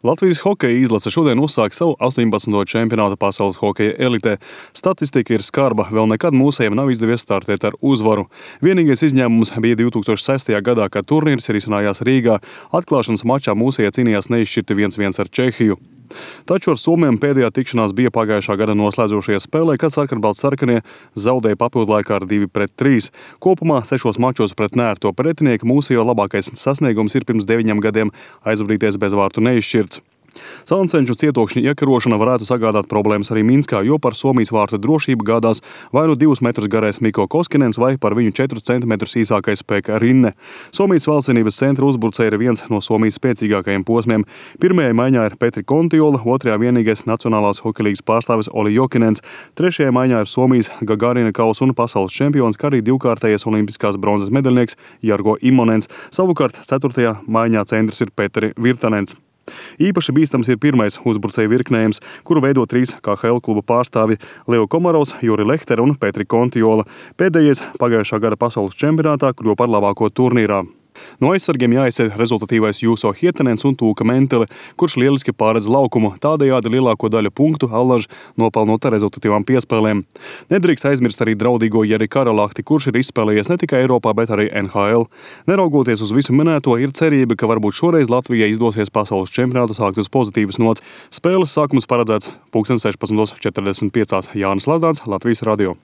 Latvijas hokeja izlase šodien uzsāk savu 18. čempionātu pasaules hokeja elitē. Statistika ir skarba, vēl nekad mūsējiem nav izdevies startēt ar uzvaru. Vienīgais izņēmums bija 2006. gadā, kad turnīrs risinājās Rīgā. Atklāšanas mačā mūsējie cīnījās neizšķirti 1-1 ar Čehiju. Taču ar Somiem pēdējā tikšanās bija pagājušā gada noslēdzošajā spēlē, kad sarkanbaltsarkanie zaudēja papildlaikā ar 2-3. Kopumā 6 mačos pret neērto pretinieku mūsējo labākais sasniegums ir pirms 9 gadiem aizvadīties bez vārtu neizšķirts. Salancenču cietokšņa iekarošana varētu sagādāt problēmas arī Minskā, jo par Somijas vārtu drošību gādās vai nu 2 metrus garais Mikko Koskinens vai par viņu 4 centimetrus īsākais Pekka Rinne. Somijas valstsvienības centra uzbrucēji ir viens no Somijas spēcīgākajiem posmiem. Pirmajā maiņā ir Petri Kontiola, otrajā vienīgais Nacionālās hokeja līgas pārstāvis Olli Jokinens, trešajā maiņā ir Somijas Gagarina kausa un pasaules čempions, kā arī divkārtējais olimpiskās bronzas medaļnieks Jargo Imonens. Savukārt 4. maiņā centrs ir Petri Virtanens. Īpaši bīstams ir pirmais uzbrucēju virknējums, kuru veido 3 KHL kluba pārstāvi Leo Komarovs, Juri Lehtera un Petri Kontiola. Pēdējais pagājušā gada pasaules čempionātā kļuva par labāko turnīrā. No aizsargiem jāizceļ rezultatīvais Juuso Hietanens un Tuukka Mentele, kurš lieliski pārredz laukumu, tādējādi lielāko daļu punktu Allaž nopelnot ar rezultatīvām piespēlēm. Nedrīkst aizmirst arī draudīgo Jeri Karalahti, kurš ir izspēlējies ne tikai Eiropā, bet arī NHL. Neraugoties uz visu minēto, ir cerība, ka varbūt šoreiz Latvijai izdosies pasaules čempionātu sākt uz pozitīvas nots. Spēles sākums paredzēts 16:45. Jānis Lazdāns, Latvijas radio.